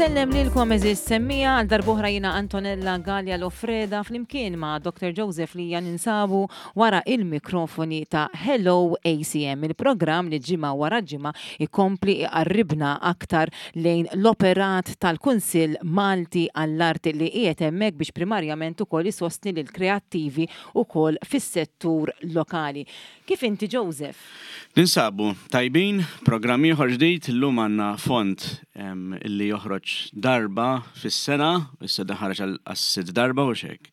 Insellem lilkom eżis semmija għal darbohra jina Antonella Gallia Lofreda flimkien ma' Dr. Joseph Lija ninsabu wara il-mikrofoni ta' Hello ACM, il-programm li ġimgħa wara ġimgħa ikompli iqarribna aktar lejn l-operat tal-Kunsill Malti għall-Arti li qiegħed hemmhekk biex primarjament ukoll isostni lill-kreattivi ukoll fis-settur lokali. Kif inti Joseph? Ninsabu tajbin, programm ieħor ġdid, illum għandna fond illi joħroġ darba fis-sena, issa dan ħareġ għas-sitt darba u xek.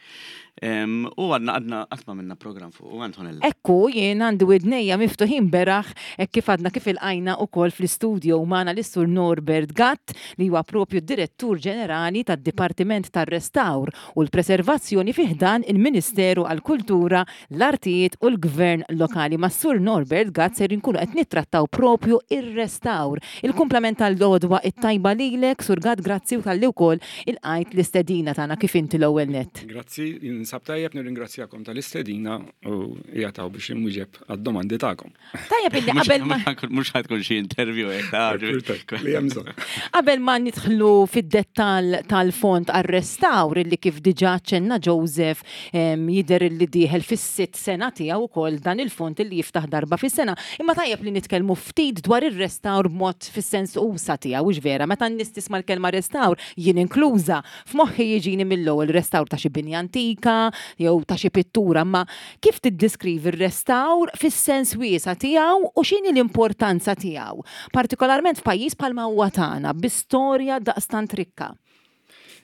U għadna għadna qatt ma minna programm fuq u Antonella. Ekku, jien għandi widnejja miftuħin beraħ hekk kif għadna kif ilqajna ukoll fl-istudio magħna lis-Sur Norbert Gatt li huwa propju d-Direttur Ġenerali tad-Dipartiment tar-Restawr u l-Preservazzjoni fi ħdan il-Ministeru għall-Kultura, l-Artijiet u l-Gvern Lokali. Mas-Sur Norbert Gatt ser inkunu qed nittrattaw propju ir-restawr. Il-kumplament tal-għodwa it-tajba lilek, Sur Gatt, grazzi u talli wkoll ilqajt l-istedina tagħna kif inti l-ewwel nett. Grazzi, ninsab tajjeb, nirringrazzjakom tal-istedina u qiegħed hawn biex inwieġeb għad-domandi tagħkom. Tajjeb illi qabel ma. Mhux ħad tkun xi interview hekk ta' Li hemm bżonn. Qabel ma nidħlu fid-dettall tal-fond għar-restawr illi kif diġà ċenna Joseph jidher illi dieħel fis-sitt sena tiegħu wkoll dan il-fond illi jiftaħ darba fis-sena. Imma tajjeb li nitkellmu ftit dwar ir-restawr b'mod fis-sens usa' tiegħu, hux vera? Meta n-nies tisma' l-kelma restawr, jien inkluża, f'moħħi jiġini mill-ewwel restawr ta' xi binja antika jew ta' xi pittura, imma Kif tiddiskrivi r-restawr fis-sens wiesa' tiegħu u x'inhi l-importanza tiegħu, partikolarment f'pajjiż bħalma huwa tagħna bi storja daqstant rikka?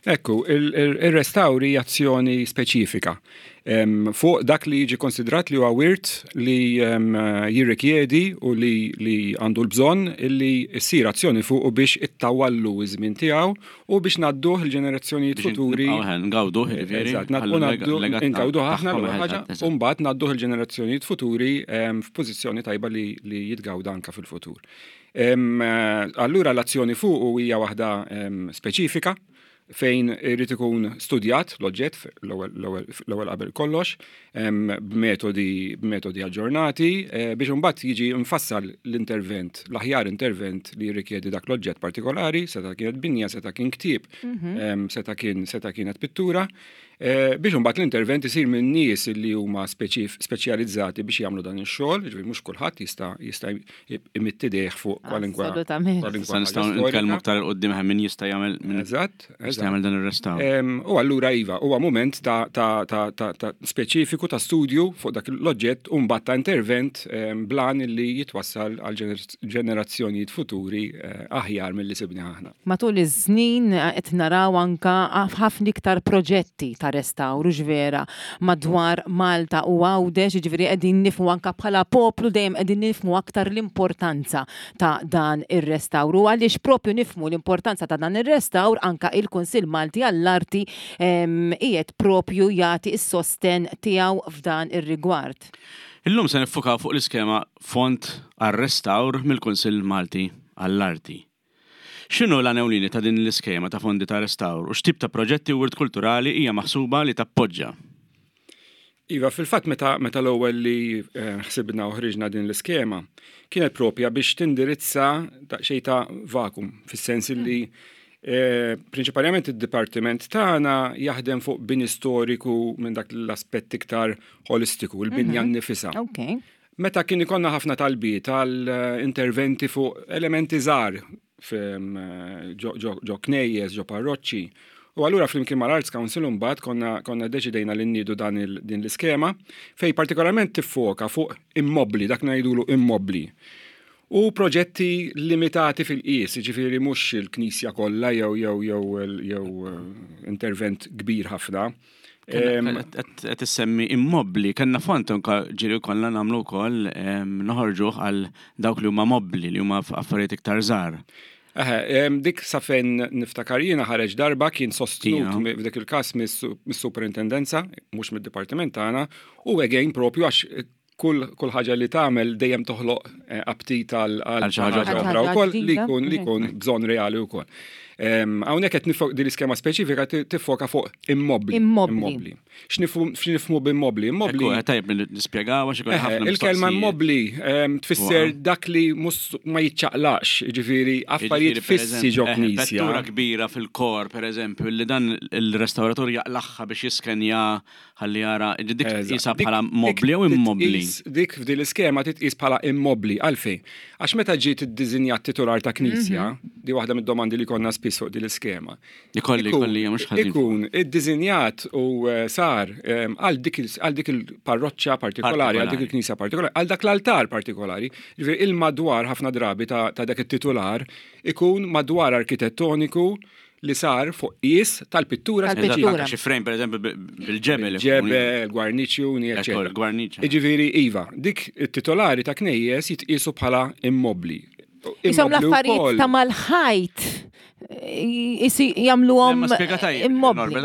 Ekku, ir-restawr hija azzjoni speċifika fuq dak li jiġi konsidrat li huwa wirt li jirrikjedi u li għandu l-bżonn li ssir azzjoni fuqu biex ittawwallu ż-żmien tiegħu U biex ngħadduh il-ġenerazzjonijiet futuri. Ngawduh, jiġifieri. Eżatt, ngawduh aħna l-ewwel ħaġa, u mbagħad ngħadduh il-ġenerazzjonijiet futuri f'pożizzjoni tajba li jitgawda anke fil-futur. Allura l-azzjoni fuqu hija waħda speċifika fejn irid ikun studjat l-oġġett l-ewwel qabel kollox, b'metodi b'metodi aġġornati biex imbagħad jiġi mfassal l-intervent, l-aħjar intervent li jirrikjedi dak l-oġġett partikolari, seta' kienet binja, seta' kien ktieb, mhm. seta' kien seta' kienet pittura, eh, biex imbagħad l-intervent isir minn nies li huma speċjalizzati biex jagħmlu dan ix-xogħol, jiġifieri mhux kulħadd jista' jista' imitt idejh fuq kwalinkwe. Assolutament. Issa nistgħu nitkellmu aktar 'il quddiem min jista' jagħmel min Eżatt, jista' jagħmel dan ir-restawr. U allura iva, huwa mument ta' ta' ta' ta' ta' speċifiku ta' studju fuq dak l-oġġett u mbagħad ta' intervent bl-għan li jitwassal għal ġenerazzjonijiet futuri aħjar milli sibnieh aħna. Matul iż-żnin qed naraw anke ħafna iktar proġetti ta' restawr, hux vera, madwar Malta u Għawdex, jiġifieri qegħdin nifhmu anke bħala poplu dejjem qegħdin nifhmu aktar l-importanza ta' dan ir-restawr. U għaliex propju nifhmu l-importanza ta' dan ir-restawr anke il-Kunsill Malti għall-Arti qiegħed propju jagħti s-sostenn tiegħu f'dan ir-rigward. Illum se niffukaw fuq l-iskema Fond għar-Restawr mill-Kunsill Malti għall-Arti. X'inhu l-għan ewlieni ta' din l-iskema ta' fondi ta' restawr u x'tip ta' proġetti u wirt kulturali hija maħsuba li tappoġġa? Iva, fil-fatt meta meta l-ewwel li eh, ħsibna u ħriġna din l-iskema, kienet propja biex tindirizza daqsxejn ta' vakum, fis-sens li eh, prinċipalment id-dipartiment tagħna jaħdem fuq bini storiku minn dak l-aspett iktar holistiku, il-binja mhm. nnifisha. Okay. Meta kien ikollna ħafna talbiet għal interventi fuq elementi żgħar ġo knejjes, ġo parroċċi. U allura flimkien mal-Arts Council imbagħad konna konna ddeċidejna li nniedu dan din l-iskema fejn partikolarment tiffoka fuq immobbli, dak ngħidulu immobbli. U proġetti limitati fil-qies, jiġifieri mhux il-knisja kollha jew jew jew jew intervent kbir ħafna. Qed issemmi immobbli, kellna fond anke ġieli konna nagħmlu wkoll noħorġuh għal dawk li huma mobbli li huma affarijiet iktar żgħar. Eħe, dik sa fejn niftakar jiena ħareġ darba kien sostnut f'dik il-każ mis-superintendenza, mhux mid-dipartiment tagħna, u again propju għax kull kull ħaġa li tagħmel dejjem toħloq eh, aptit għal xi ħaġa oħra wkoll li jkun li jkun bżonn reali wkoll. Hawnhekk qed nifok din l-iskema speċifika tiffoka fuq immobbli. Immobbli. X'nifhmu b'immobbli? Immobbli. Tajjeb nispjegaw għax ikun ħafna. Il-kelma immobbli tfisser dak li mhux ma jiċċaqlaqx, jiġifieri affarijiet fissi ġo knisja. Vettura kbira fil-kor, pereżempju, li dan il-restawratur jaqlagħha biex jiskenja ħalli jara, dik tqisha bħala mobbli jew immobbli? Dik f'din l-iskema titqis bħala immobbli. Għalfejn? Għax meta ġiet iddiżinjat titular ta' knisja, di waħda mid-domandi li konna spiss fuq din l-iskema. Ikolli, ikolli, mhux ħażin. Ikun iddiżinjat u eh, sar eh, għal dik il-parroċċa partikolari, għal dik il-knisja partikolari, għal dak l-altar partikolari. Ġifieri il-madwar ħafna drabi ta' dak it-titular ikun madwar arkitettoniku li sar fuq qies tal-pittura speċifika. Xi frame pereżempju bil-ġebel. Ġebel, gwarniċjuni, eċetera. Gwarniċ. Jiġifieri iva, dik it-titolari ta' knejjes jitqiesu bħala immobbli. Isom l-affarijiet ta' mal-ħajt jagħmluhom immobbli.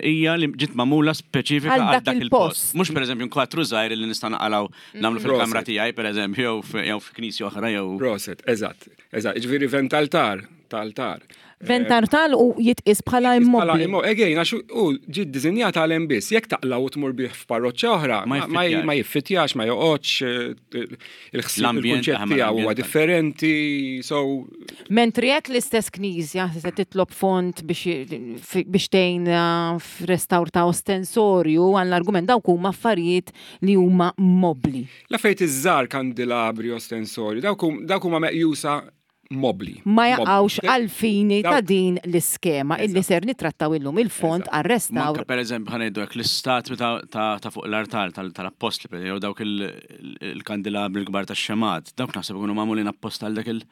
Hija li ġiet magħmula speċifika għal dak il-post. Mhux pereżempju kwatru żgħir li nista' naqalgħu nagħmlu fil-kamra tiegħi pereżempju jew f'knisja oħra jew. Proset, eżatt. Eżatt, jiġifieri ventaltar ta' altar. Ventartal u jitqis bħala immobbli. Again, għax u ġi ddisinjat għal hemm biss. Jekk taqla u tmur bih f'parroċċa oħra, ma jiffitjax, ma joqgħodx, eh, il-ħsieb il-kunċett tiegħu huwa differenti, so. Mentri jekk l-istess knisja se titlob fond biex tgħin eh, f'restawr ta' ostensorju għall-argument dawk huma affarijiet li huma mobbli. L-affarijiet iż-żgħar kandilabri, ostensorju, dawk huma meqjusa mobbli. Ma jaqgħux għall-fini ta' din l-iskema illi ser nittrattaw illum, il-fond għar-restawr. Anke pereżempju ħa ngħidu hekk l-istatwi ta' fuq l-artal tal-appostli jew dawk il-kandilabri l-kbar tax-xemgħat, dawk naħseb ikunu magħmulin apposta għal dak il-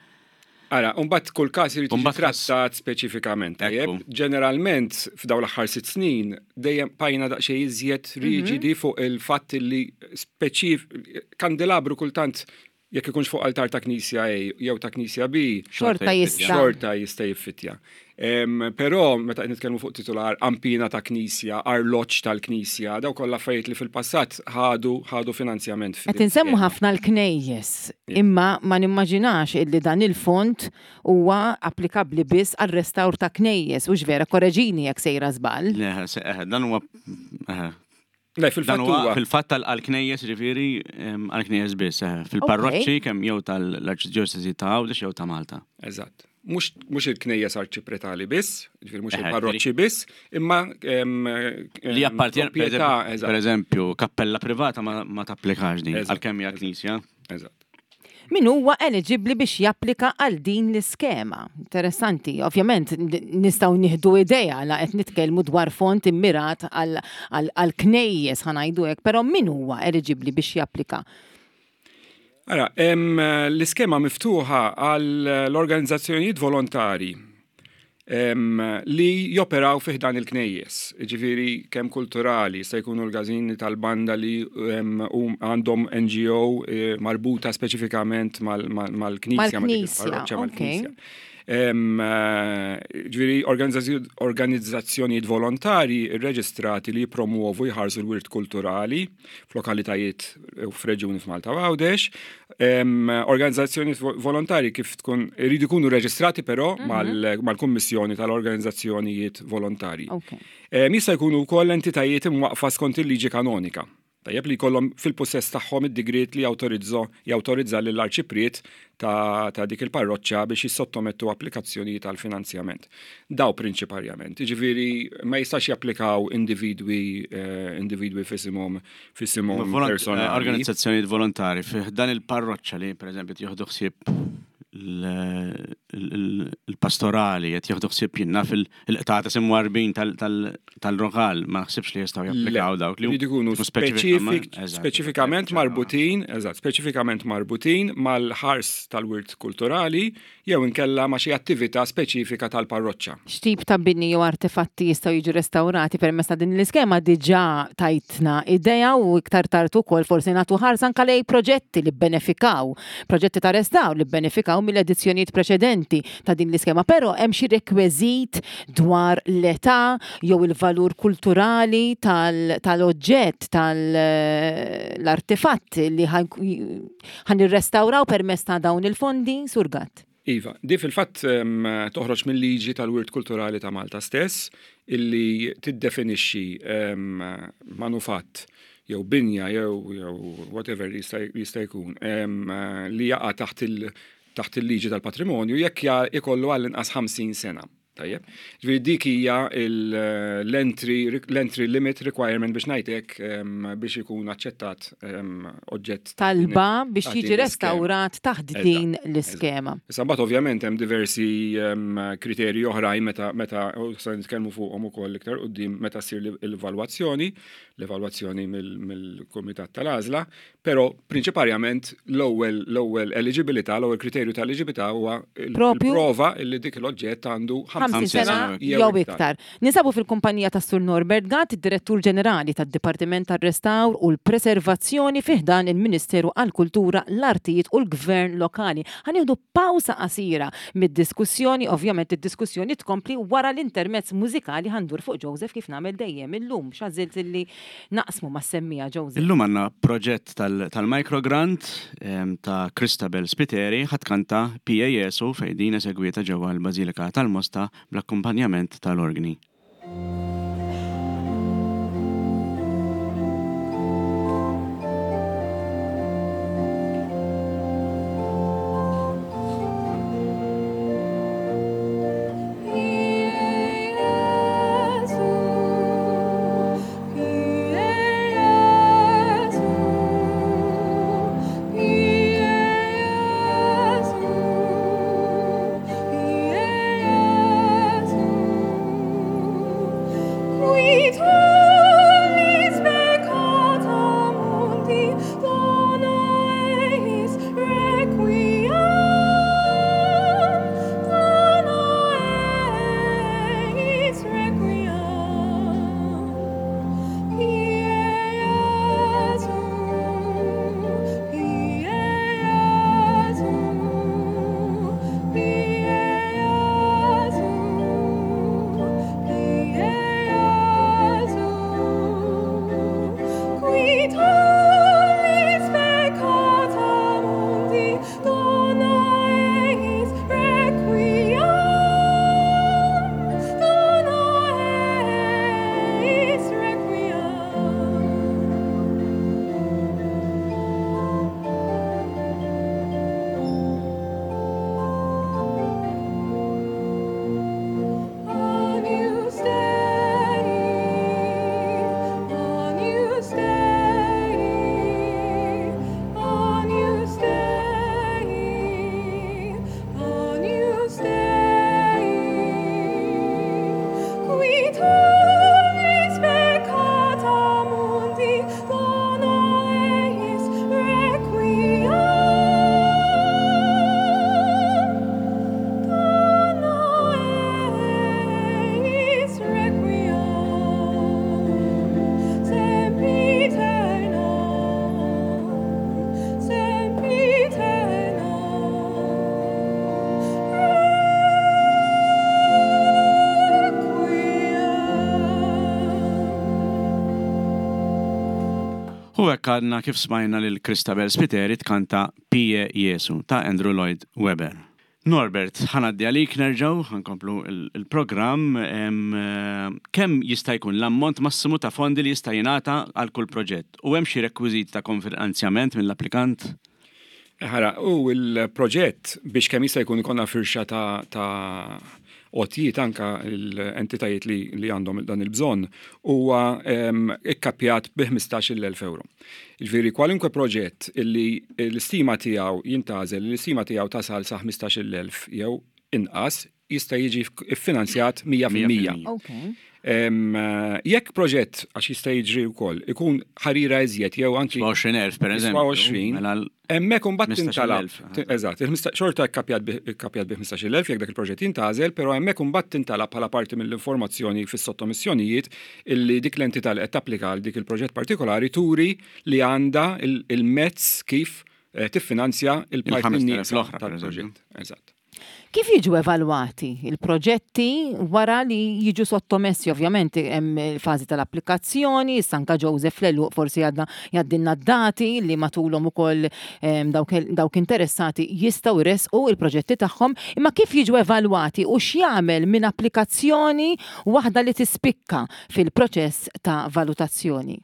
Ara, mbagħad kull każ irid jiġi trattat speċifikament. Tajjeb, ġeneralment f'dawn l-aħħar sitt snin dejjem bqajna daqsxejn iżjed riġidi fuq il-fatt li speċif kandelabru kultant jekk ikunx fuq altar ta' knisja A jew ta' knisja B, xorta jista' xorta jista' jiffittja. Però meta qed nitkellmu fuq titular ampina ta' knisja, arloġġ tal-knisja, daw kollha affarijiet li fil-passat ħadu ħadu finanzjament. Qed insemmu ħafna l-knejjes, imma ma nimmaġinax illi dan il-fond huwa applikabbli biss għar-restawr ta' knejjes, hux vera? Korreġini jekk sejra żball. Le, dan huwa Le, fil-fatt huwa. Fil-fatt għall-knejjes, ġifieri, għall-knejjes biss, fil-parroċċi kemm jew tal-Arċidjoċesi ta' Għawdex jew ta' Malta. Eżatt. Mhux il-knejjes arċipretali biss, ġifieri mhux il-parroċċi biss, imma li appartjen per eżempju, kappella privata ma tapplikax din, għalkemm hija knisja. Eżatt. Min huwa eliġibbli biex japplika għal din l-iskema? Interessanti, ovvjament nistgħu nieħdu idea la qed nitkellmu dwar fond immirat għal knejjes ħa ngħidu hekk, però min huwa eliġibbli biex japplika? Ara, l-iskema miftuħa għal l-organizzazzjonijiet volontari li joperaw fi ħdan il-knejjes, ġifieri kemm kulturali, se jkunu l-gażini tal-banda li għandhom NGO eh, marbuta speċifikament mal-knisja. Mal-knisja, Eh, ġifieri organizzazzjonijiet volontari rreġistrati li jipromuovu jħarsu l-wirt kulturali f'lokalitajiet u f'reġjuni f'Malta u Għawdex. Organizzazzjoni volontari kif tkun iridu jkunu reġistrati però mhm. mal-Kummissjoni tal-Organizzazzjonijiet Volontari. Jista' jkunu wkoll entitajiet imwaqqfa skont il-liġi kanonika. Tajjeb li jkollhom fil-pussess tagħhom id-digriet li jawtorizzo jawtorizza lill-arċipriet ta', ta dik il-parroċċa biex jissottomettu applikazzjonijiet għal finanzjament. Daw prinċiparjament. Jiġifieri ma jistax japplikaw individwi eh, individwi f'isimhom f'isimhom personali. Eh, organizzazzjonijiet volontari fih dan il-parroċċa li pereżempju jieħdu ħsieb il-pastorali qed jieħdu ħsieb jinnna fil-qtata simwarbin tal-rokal ma naħsibx li jistgħu japplikaw dawk li jkunu speċifikament marbutin, eżatt, speċifikament marbutin mal-ħars tal-wirt kulturali jew inkella ma' xi attività speċifika tal-parroċċa. X'tip ta' bini jew artefatti jistgħu jiġu restawrati permezz ta' din l-iskema diġà tajtna idea u iktar tard ukoll forsi nagħtu ħarsa anke lejn proġetti li bbenefikaw, proġetti ta' restawr li bbenefikaw mill-edizzjonijiet preċedenti ta' din l-iskema. Però hemm xi rekwiżit dwar l-età jew il-valur kulturali tal-oġġett, tal-artefatt li ħa nirrestawraw permezz ta' dawn il-fondi, Sur Gatt? Iva, di fil-fatt toħroġ mill-liġi tal-wirt kulturali ta' Malta stess illi tiddefinixxi manufatt jew binja jew jew whatever jista' jkun li jaqa' taħt il taħt il-liġi tal-patrimonju jekk ikollu għall-inqas 50 sena. Tajjeb. Ġifieri dik hija l-entry l-entry limit requirement biex ngħidlek biex ikun aċċettat oġġett. Talba biex jiġi restawrat taħt din l-iskema. Issa mbagħad ovvjament hemm diversi kriterji oħrajn meta meta se nitkellmu fuqhom ukoll iktar quddiem meta ssir l-evalwazzjoni, l-evalwazzjoni mill-kumitat tal-għażla, Però prinċiparjament l-ewwel l-ewwel eliġibilità, l-ewwel kriterju ta' eliġibilità huwa il-prova li dik l-oġġett għandu 50 sena jew iktar. Ninsabu fil-kumpanija tas Sur Norbert Gatt, id-Direttur Ġenerali tad-Dipartiment tar-Restawr u l-Preservazzjoni fi ħdan il-Ministeru għall-Kultura, l-Artijiet u l-Gvern Lokali. Ħa nieħdu pawsa qasira mid-diskussjoni, ovvjament id-diskussjoni tkompli wara l-intermezz mużikali ħa ndur fuq Joseph kif nagħmel dejjem illum x'għażilt illi naqsmu mas-semmiegħa Joseph. Illum għandna proġett tal-microgrant ta' Christabel Spiteri ħa tkanta Pie Jesu fejn din esegwieta ġewwa l-Bażilika tal-Mosta bl-akkumpanjament tal-orgni. U hekk għadna kif smajna lil Christabel Spiteri tkanta Pie Jesu ta' Andrew Lloyd Webber. Norbert, ħa ngħaddi għalik nerġgħu, ħa nkomplu l-programm. Kemm jista' jkun l-ammont massimu ta' fondi li jista' jingħata għal kull proġett? U hemm xi rekwiżiti ta' konfinanzjament mill-applikant? Ħara, u l-proġett biex kemm jista' jkun ikollna firxa ta' għotjiet anka l-entitajiet li għandhom dan il-bżonn huwa ikkappjat bi 15,000 euro. Jiġifieri kwalunkwe proġett illi l-istima tiegħu jintgħażel, li l-istima tiegħu tasal sa 15,000 jew inqas jista' jiġi ffinanzjat 100%. Jekk proġett, għax jista' jiġri wkoll, ikun ħarira iżjed jew anki. 20,000 per eżempju. 20, mela hemmhekk imbagħad tintalab. Eżatt, xorta kkappjat bi 15,000 jekk dak il-proġett jintgħażel, però hemmhekk imbagħad tintalab bħala parti mill-informazzjoni fis-sottomissjonijiet illi dik l-entità li qed tapplika għal dik il-proġett partikolari turi li għandha il-mezz kif eh, tiffinanzja il-parti l-oħra tal-proġett. Eżatt. Kif jiġu evalwati il-proġetti wara li jiġu sottomessi? Ovvjament hemm il-fażi tal-applikazzjoni, issa anka Joseph l-għeluq forsi għadna jgħaddilna d-dati li matulhom ukoll ehm, dawk interessati jistgħu jressqu il-proġetti tagħhom, imma kif jiġu evalwati u x'jagħmel minn applikazzjoni waħda li tispikka fil-proċess ta' valutazzjoni?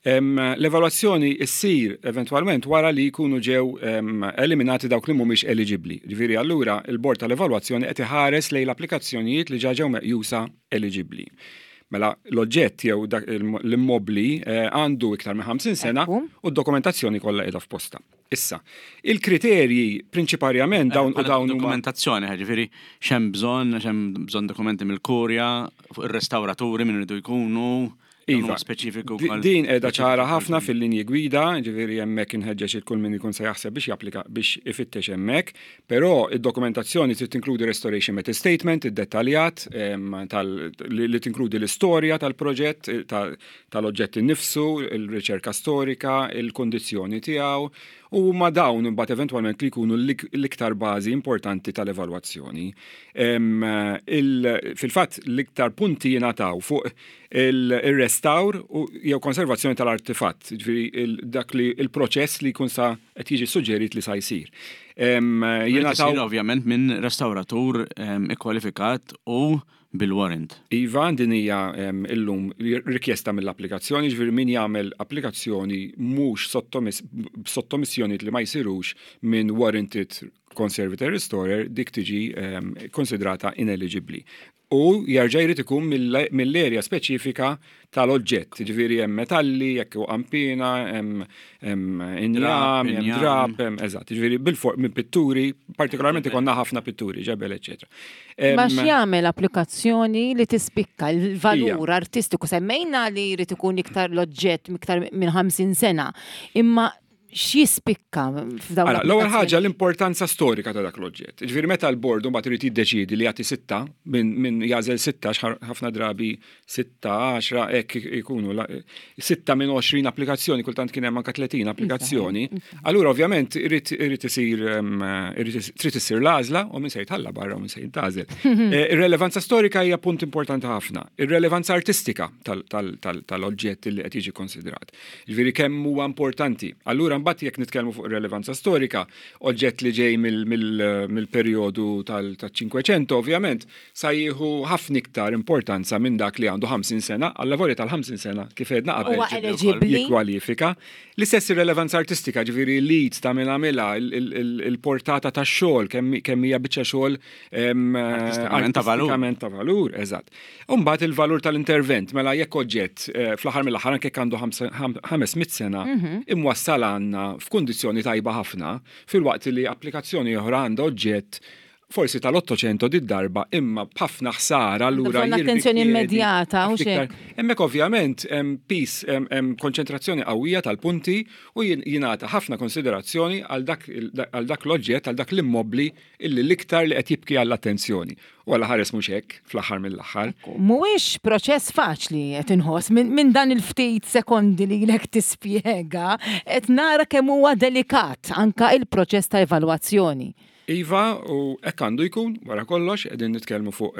L-evalwazzjoni ssir eventwalment wara li jkunu ġew eliminati dawk li mhumiex eliġibbli. Ġifieri allura il-bord tal-evalwazzjoni qed iħares lejn l-applikazzjonijiet li ġa ġew meqjusa eliġibbli. Mela l-oġġett jew l-immobbli eh, għandu iktar minn 50 sena u d-dokumentazzjoni kollha qiegħda f'posta. Issa, il-kriterji prinċiparjament dawn u dawn dokumentazzjoni, ġifieri x'hemm bżonn, x'hemm bżonn dokumenti mill-kurja, fuq ir-restawraturi minn iridu jkunu. Iva, speċifiku. Din qiegħda ċara ħafna fil-linji gwida, ġifieri hemmhekk inħeġġeġ il kull min ikun se jaħseb biex japplika biex ifittex hemmhekk, però id-dokumentazzjoni trid tinkludi restoration method statement iddettaljat li tinkludi l-istorja tal-proġett, tal-oġġett innifsu, il-riċerka storika, il-kundizzjoni tiegħu, u huma dawn imbagħad eventwalment li jkunu l-iktar bażi importanti tal-evalwazzjoni. Fil-fatt l-iktar punti jingħataw fuq il-restawr jew konservazzjoni tal-artifatt, ġifieri dak li il-proċess li jkun sa qed jiġi suġġerit li sa jsir. Jingħataw ovvjament minn restawratur ikkwalifikat u bil-warrant. Iva, din hija illum rikjesta mill-applikazzjoni, ġifieri min jagħmel applikazzjoni mhux sottomissjonijiet li ma jsirux minn warranted conservator restorer dik tiġi konsidrata ineligibbli. U jerġa' jrid ikun mill-erja speċifika tal-oġġett, jiġifieri hemm metalli, jekk hu qanpiena, hemm injam, hemm drab, hemm eżatt, jiġifieri bil-for minn pitturi, partikolarment ikollna ħafna pitturi, ġebel, eċċetera. Ma x'jagħmel applikazzjoni li tispikka l-valur artistiku semmejna li jrid ikun iktar l-oġġett iktar minn 50 sena, imma x'jispikka f'dawn Ara, l-ewwel ħaġa l-importanza storika ta' dak l-oġġett. Ġifieri meta l-bord mbagħad irid jiddeċiedi li jagħti sitta minn jagħżel sitta ħafna drabi sitta, għaxra hekk ikunu sitta minn 20 applikazzjoni, kultant kien hemm anke 30 applikazzjoni. Allura ovvjament irid irid isir trid issir l-għażla u min se jitħalla barra u min se jintgħażel. Eh, ir-relevanza storika hija punt importanti ħafna. Ir-relevanza artistika tal-oġġett li qed jiġi konsidrat. Jiġifieri kemm huwa importanti. Allura mbagħad jekk nitkellmu fuq ir-relevanza storika, oġġett li ġej mill-perjodu tal-Cinquecento ovvjament sa jieħu ħafna iktar importanza minn dak li għandu 50 sena, allavolja tal-50 sena kif għedna qabel jikkwalifika. L-istess ir-relevanza artistika, ġifieri l-id ta' min għamilha, il-portata tax-xogħol, kemm hija biċċa xogħol artistikament ta' valur, eżatt. U mbagħad il-valur tal-intervent, mela jekk oġġett eh, fl-aħħar mill-aħħar anke għandu 500 sena mhm. imwassal għandna f'kundizzjoni tajba ħafna, filwaqt li applikazzjoni oħra għandha oġġett forsi tal-800 di darba imma b'ħafna ħsara allura attenzjoni immedjata u xejn. Hemmhekk ovvjament hemm pis hemm konċentrazzjoni qawwija tal-punti u jingħata ħafna konsiderazzjoni għal dak l-oġġett għal dak l-immobbli illi l-iktar li qed jibki għall-attenzjoni. U Alla ħares mhux hekk fl-aħħar mill-aħħar. Mhuwiex proċess faċli qed inħoss minn dan il-ftit sekondi li ilek tispjega qed nara kemm huwa delikat anka il-proċess ta' evalwazzjoni. Iva, u hekk għandu jkun, wara kollox, qegħdin nitkellmu fuq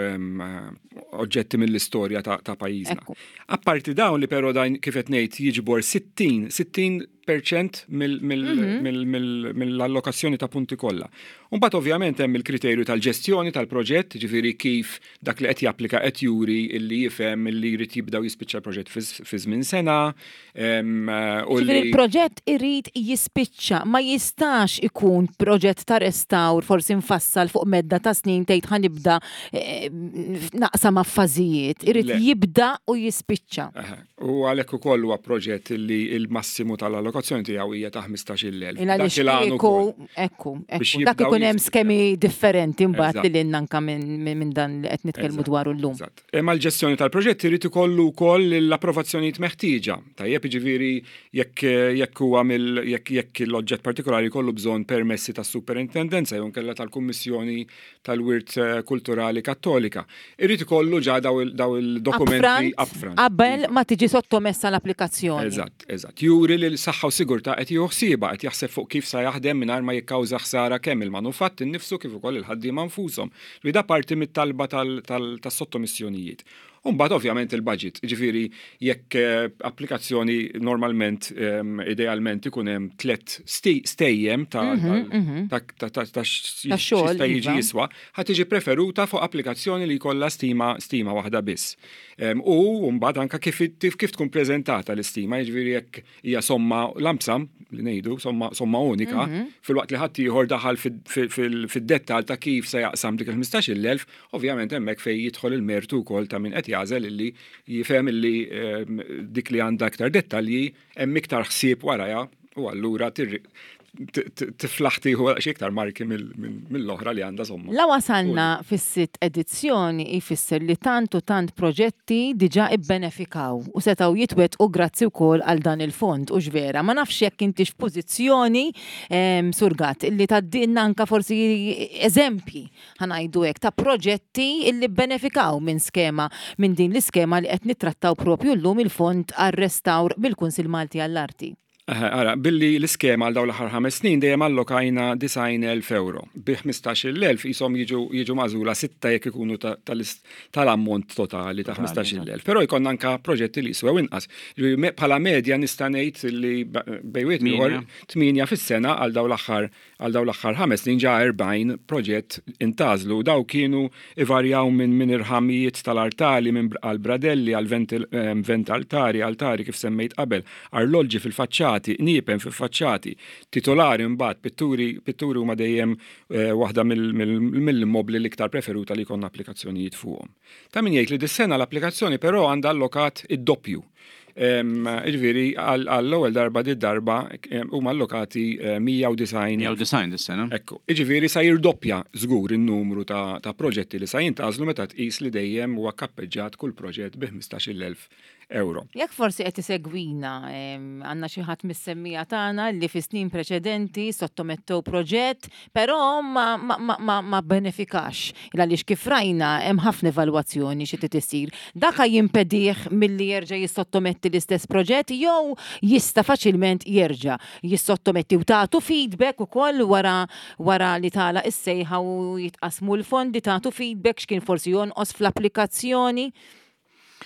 oġġetti mill-istorja ta' pajjiżna. Apparti dawn li però dan kif qed ngħid jiġbor 60, 60 perċent mill-allokazzjoni ta' punti kollha. Mbagħad ovvjament hemm il-kriterju tal-ġestjoni tal-proġett, ġifieri kif dak li qed japplika qed juri illi jifhem illi jrid jibda u jispiċċa l-proġett fi żmien sena. Ġifieri il-proġett irid jispiċċa, ma jistax ikun proġett ta' restawr forsi mfassal fuq medda ta' snin tgħid ħa nibda eh, naqsam fażijiet, irid jibda u jispiċċa. U għalhekk ukoll huwa proġett li l-massimu tal-allokazzjoni tiegħu hija ta' 15,000. Il għaliex kieku, ekku, ekku, dak ikun hemm skemi differenti mbagħad li lilna anka minn dan li qed nitkellmu dwaru llum. Eżatt. Imma l-ġestjoni tal-proġett irid ikollu wkoll l-approvazzjonijiet meħtieġa. Tajjeb, jiġifieri jekk jekk huwa mill jekk jekk l-oġġett partikolari jkollu bżonn permessi tas-superintendenza jew inkella tal-Kummissjoni tal-Wirt Kulturali Kattolika. Irid ikollu ġa daw il-dokumenti upfront. Qabel ma tiġi sottomessa l-applikazzjoni. Eżatt, eżatt. Juri li saħħa saħħa u sigurtà qed jieħu ħsiebha, qed jaħseb fuq kif sa jaħdem mingħajr ma jikkawża ħsara kemm il-manufatt innifsu kif ukoll il-ħaddiema nfushom. Ġifieri da parti mit-talba tas-sottomissjonijiet. U mbagħad ovvjament il-budget, jiġifieri jekk applikazzjoni normalment idealment ikun hemm tlett stejjem ta' ta' x'jista' jiġi jiswa, ħa tiġi preferuta fuq applikazzjoni li jkollha stima stima waħda biss. U mbagħad anke kif kif tkun preżentata l-istima, jiġifieri jekk hija somma lump sum li ngħidu, somma, somma unika, mm -hmm. filwaqt li ħadd ieħor daħal fid-dettall ta' kif se jaqsam dik il-15,000, ovvjament hemmhekk fejn jidħol il-mertu wkoll ta' min qed jagħżel illi jifhem illi ehm, dik li għandha iktar dettalji hemm iktar ħsieb warajha u allura tiflaħ tieħu xi iktar marki mill-oħra li għandha somma. La wasalna fis-sitt edizzjoni jfisser li tant u tant proġetti diġà ibbenefikaw u setgħu jitwettqu grazzi wkoll għal dan il-fond, hux vera? Ma nafx jekk intix f'pożizzjoni, Sur Gatt, illi tgħaddilna anke forsi eżempji, ħa ngħidu hekk, ta' proġetti illi bbenefikaw minn skema, minn din l-iskema li qed nittrattaw propju llum, il-Fond għar-Restawr mill-Kunsill Malti għall-Arti. Ara, billi l-iskema għal dawn l-aħħar ħames snin dejjem allokajna 90,000 euro. Bi 15,000 qishom jiġu jiġu magħżula sitta jekk ikunu tal-ammont totali ta' 15,000. Però jkollna anka proġetti li jiswew inqas. Bħala medja nista' ngħid li bejn wieħed ieħor tmienja fis-sena għal dawn l-aħħar Għal dawn l-aħħar ħames snin ġa 40 proġett intgħażlu u dawn kienu ivarjaw minn minn irħamijiet tal-artali minn għal bradelli għal ventaltari, altari kif semmejt qabel, arloġġi fil-faċċati, qniepen fil-faċċati, titolari mbagħad, pitturi, pitturi huma dejjem waħda mill-immobbli l-iktar preferuta li jkollna applikazzjonijiet fuqhom. Ta' min jgħid li dis-sena l-applikazzjoni però għandha allokat id-doppju. Ġifieri għall-ewwel darba di darba huma allokati 190. 190 dis-sena. Ekku. Ġifieri sa jirdoppja żgur in-numru ta' proġetti li sa jintgħażlu meta tqis li dejjem huwa kappeġġat kull proġett bi 15,000 euro. Jekk forsi qed isegwina għandna xi ħadd mis-semmiegħa tagħna li fi snin preċedenti sottomettew proġett, però ma, ma, ma, ma, ma benefikax. Għaliex kif rajna hemm ħafna evalwazzjoni xi trid isir. Daka jimpedih milli jerġa' jissottometti l-istess proġett jew jista' faċilment jerġa' jissottometti u tagħtu feedback ukoll wara wara li tagħlaq is-sejħa u jitqassmu l-fondi tagħtu feedback x'kien forsi jonqos fl-applikazzjoni.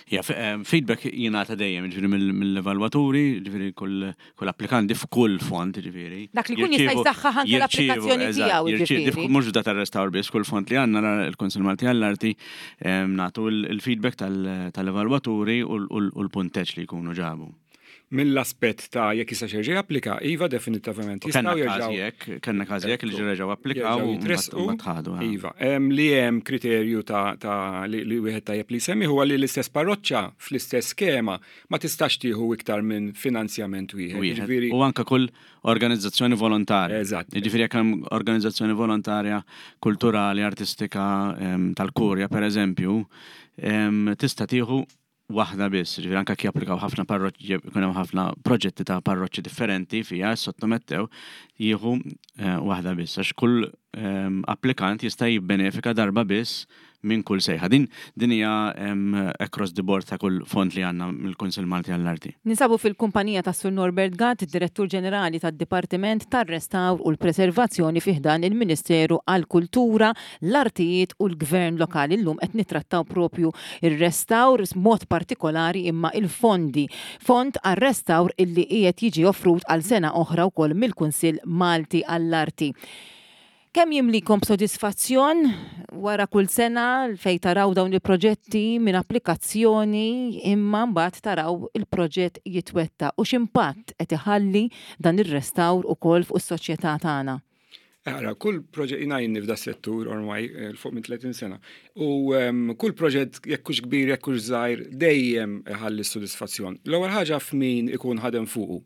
Ja, feedback jingħata dejjem, ġifieri mill-evalwaturi, ġifieri kull applikanti f'kull fond, ġifieri. Dak li jkun jista' jsaħħaħ anke l-applikazzjoni tiegħu, ġifieri. Mhux f'da tar-restawr biss, kull fond li għandna l-Kunsill Malti għall-Arti nagħtu l-feedback tal-evalwaturi u l-punteġġ li jkunu ġabu. Mill-aspett ta' jekk jistax jerġa' japplika, iva definittivament jistgħu jerġgħu. Jekk, kellna każi hekk li reġgħu applikaw u mbagħad ħadu. Iva, li hemm kriterju ta' li wieħed tajjeb li jsemmi huwa li l-istess parroċċa fl-istess skema ma tistax tieħu iktar minn finanzjament wieħed. Jiġifieri U anke kull organizzazzjoni volontarja. Eżatt. Jiġifieri jekk hemm organizzazzjoni volontarja kulturali, artistika, tal-kurja pereżempju, tista' tieħu waħda biss, ġifieri anke jekk japplikaw ħafna parroċċi, jkun hemm ħafna proġetti ta' parroċċi differenti fiha sottomettew, jieħu eh, waħda biss, għax kull ehm, applikant jista' jibbenefika darba biss minn kull sejħa. Din din hija ehm, across the board ta' kull fond li għandna mill-Kunsill Malti għall-Arti. Ninsabu fil-kumpanija tas Sur Norbert Gatt, Direttur Ġenerali tad-Dipartiment tar-Restawr u l-Preservazzjoni fi ħdan il-Ministeru għall-Kultura, l-Artijiet u l-Gvern Lokali. Illum qed nittrattaw propju ir-restawr mod partikolari imma il-fondi. Fond għar-restawr illi qiegħed jiġi offrut għal sena oħra wkoll mill-Kunsill Malti għall-Arti. Kemm jimlikom b'sodisfazzjon wara kull sena fejn taraw dawn il-proġetti minn applikazzjoni imma mbagħad taraw il-proġett jitwettaq u x'impatt qed iħalli dan ir-restawr ukoll fuq is-soċjetà tagħna? Ara, kull proġett jina jinni f'da settur ormai eh, fuq minn 30 sena. U ehm, kull proġett jekk hux kbir, jekk hux żgħir, dejjem ħalli s-sodisfazzjon. L-ewwel ħaġa f'min ikun ħadem fuqu.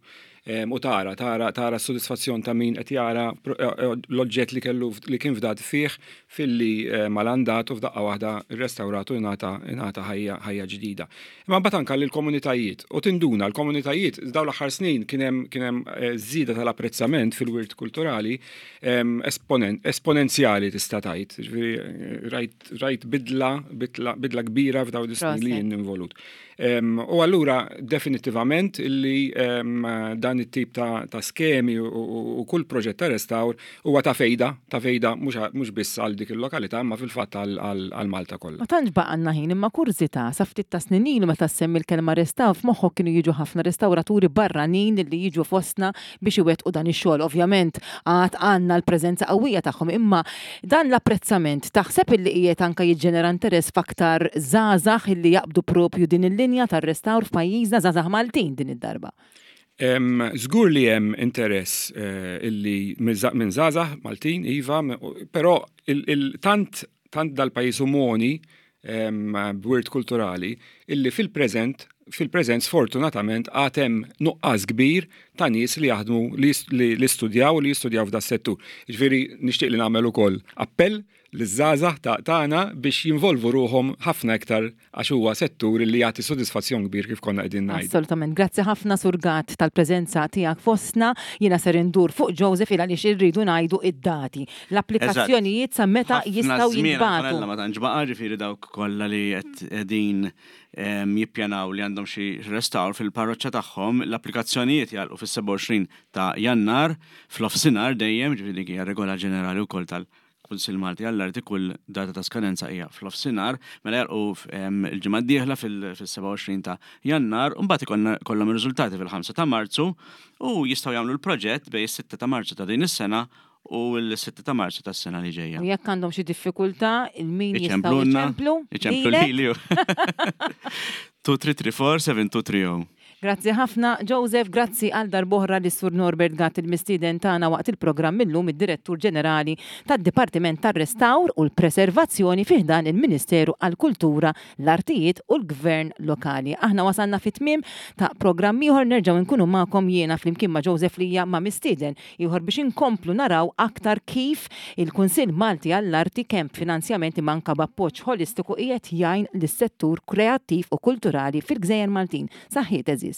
U tara, tara, tara s-sodisfazzjon ta' min qed jara eh, eh, l-oġġett li kellu li kien fdat fih filli eh, malandat u f'daqqa waħda rrestawratu ingħata ingħata ħajja ħajja ġdida. Imma mbagħad anke lill-komunitajiet u tinduna l-komunitajiet dawn l-aħħar snin kien hemm kien hemm żieda tal-apprezzament fil-wirt kulturali esponenzjali tista' tgħid. Ġifieri rajt rajt bidla bidla kbira f'dawn is-snin li jien involut. U allura definittivament illi dan dan it-tip ta' skemi u kull proġett ta' restawr huwa ta' fejda, ta' fejda mhux biss għal dik il-lokalità imma fil-fatt għal Malta kollha. Ma tantx baqgħalna ħin imma kurżità, sa ftit ta' snin ilu meta ssemmi l-kelma restawr f'moħħok kienu jiġu ħafna restawraturi barranin li jiġu fostna biex iwettqu dan ix-xogħol. Ovvjament għad għandna l-preżenza qawwija tagħhom imma dan l-apprezzament taħseb illi qiegħed anke jiġġenera interess f'aktar żgħażagħ illi jaqbdu proprju din il-linja tar-restawr f'pajjiżna, żgħażagħ Maltin din id-darba? Żgur li hemm interess illi minn żgħażagħ Maltin, iva, però tant tant dal-pajjiż hu mogħni b'wirt kulturali illi fil-preżent fil-preżent sfortunatament għad hemm nuqqas kbir ta' nies li jaħdmu li studjaw u li jistudjaw f'da settur. Jiġifieri nixtieq li nagħmel ukoll appell liż-żgħażagħ tagħna biex jinvolvu ruħhom ħafna iktar għax huwa settur li jagħti sodisfazzjon kbir kif konna qegħdin ngħidu. Assolutament. Grazzi ħafna Sur Gatt tal-preżenza tiegħek fostna. Jiena ser indur fuq Joseph il għaliex irridu ngħidu id-dati. L-applikazzjonijiet sa meta jistgħu jintbagħtu. Ħafna ma tantx baqa' ġifieri dawk kollha li qed qegħdin jippjanaw li għandhom xi restawr fil-parroċċa tagħhom, l-applikazzjonijiet jagħlqu fis-27 ta' Jannar f'nofsinhar dejjem, ġifieri dik hija regola ġenerali wkoll tal Kunsill Malti għall-Arti kull data ta' skadenza hija f'nofsinhar, mela jagħlqu l-ġimgħa d-dieħla fis-27 ta' Jannar u mbagħad ikollna jkollhom ir-riżultati fil-5 ta' Marzu u jistgħu jagħmlu l-proġett bejn is-6 ta' Marzu ta' din is-sena u l-6 ta' Marzu tas-sena li ġejja. U jekk għandhom xi diffikultà, il min jistgħu jċemplu? Iċemplu lili. 2334 7230. Grazzi ħafna Joseph, grazzi għal darb'oħra lis-Sur Norbert Gatt il-mistieden tagħna waqt il-programm illum id-Direttur Ġenerali tad-Dipartiment tar-Restawr u l-Preservazzjoni fi ħdan il-Ministeru għall-Kultura, l-Artijiet u l-Gvern Lokali. Aħna wasalna fit-tmiem ta' programm ieħor nerġgħu nkunu magħkom jiena flimkien ma' Joseph Lia ma' mistieden ieħor biex inkomplu naraw aktar kif il-Kunsill Malti għall-Arti kemm b'finanzjament imma anke b'appoġġ ħolistiku qiegħed jgħin lis-settur kreattiv u kulturali fil-gżejjer Maltin. Saħħiet għeżież.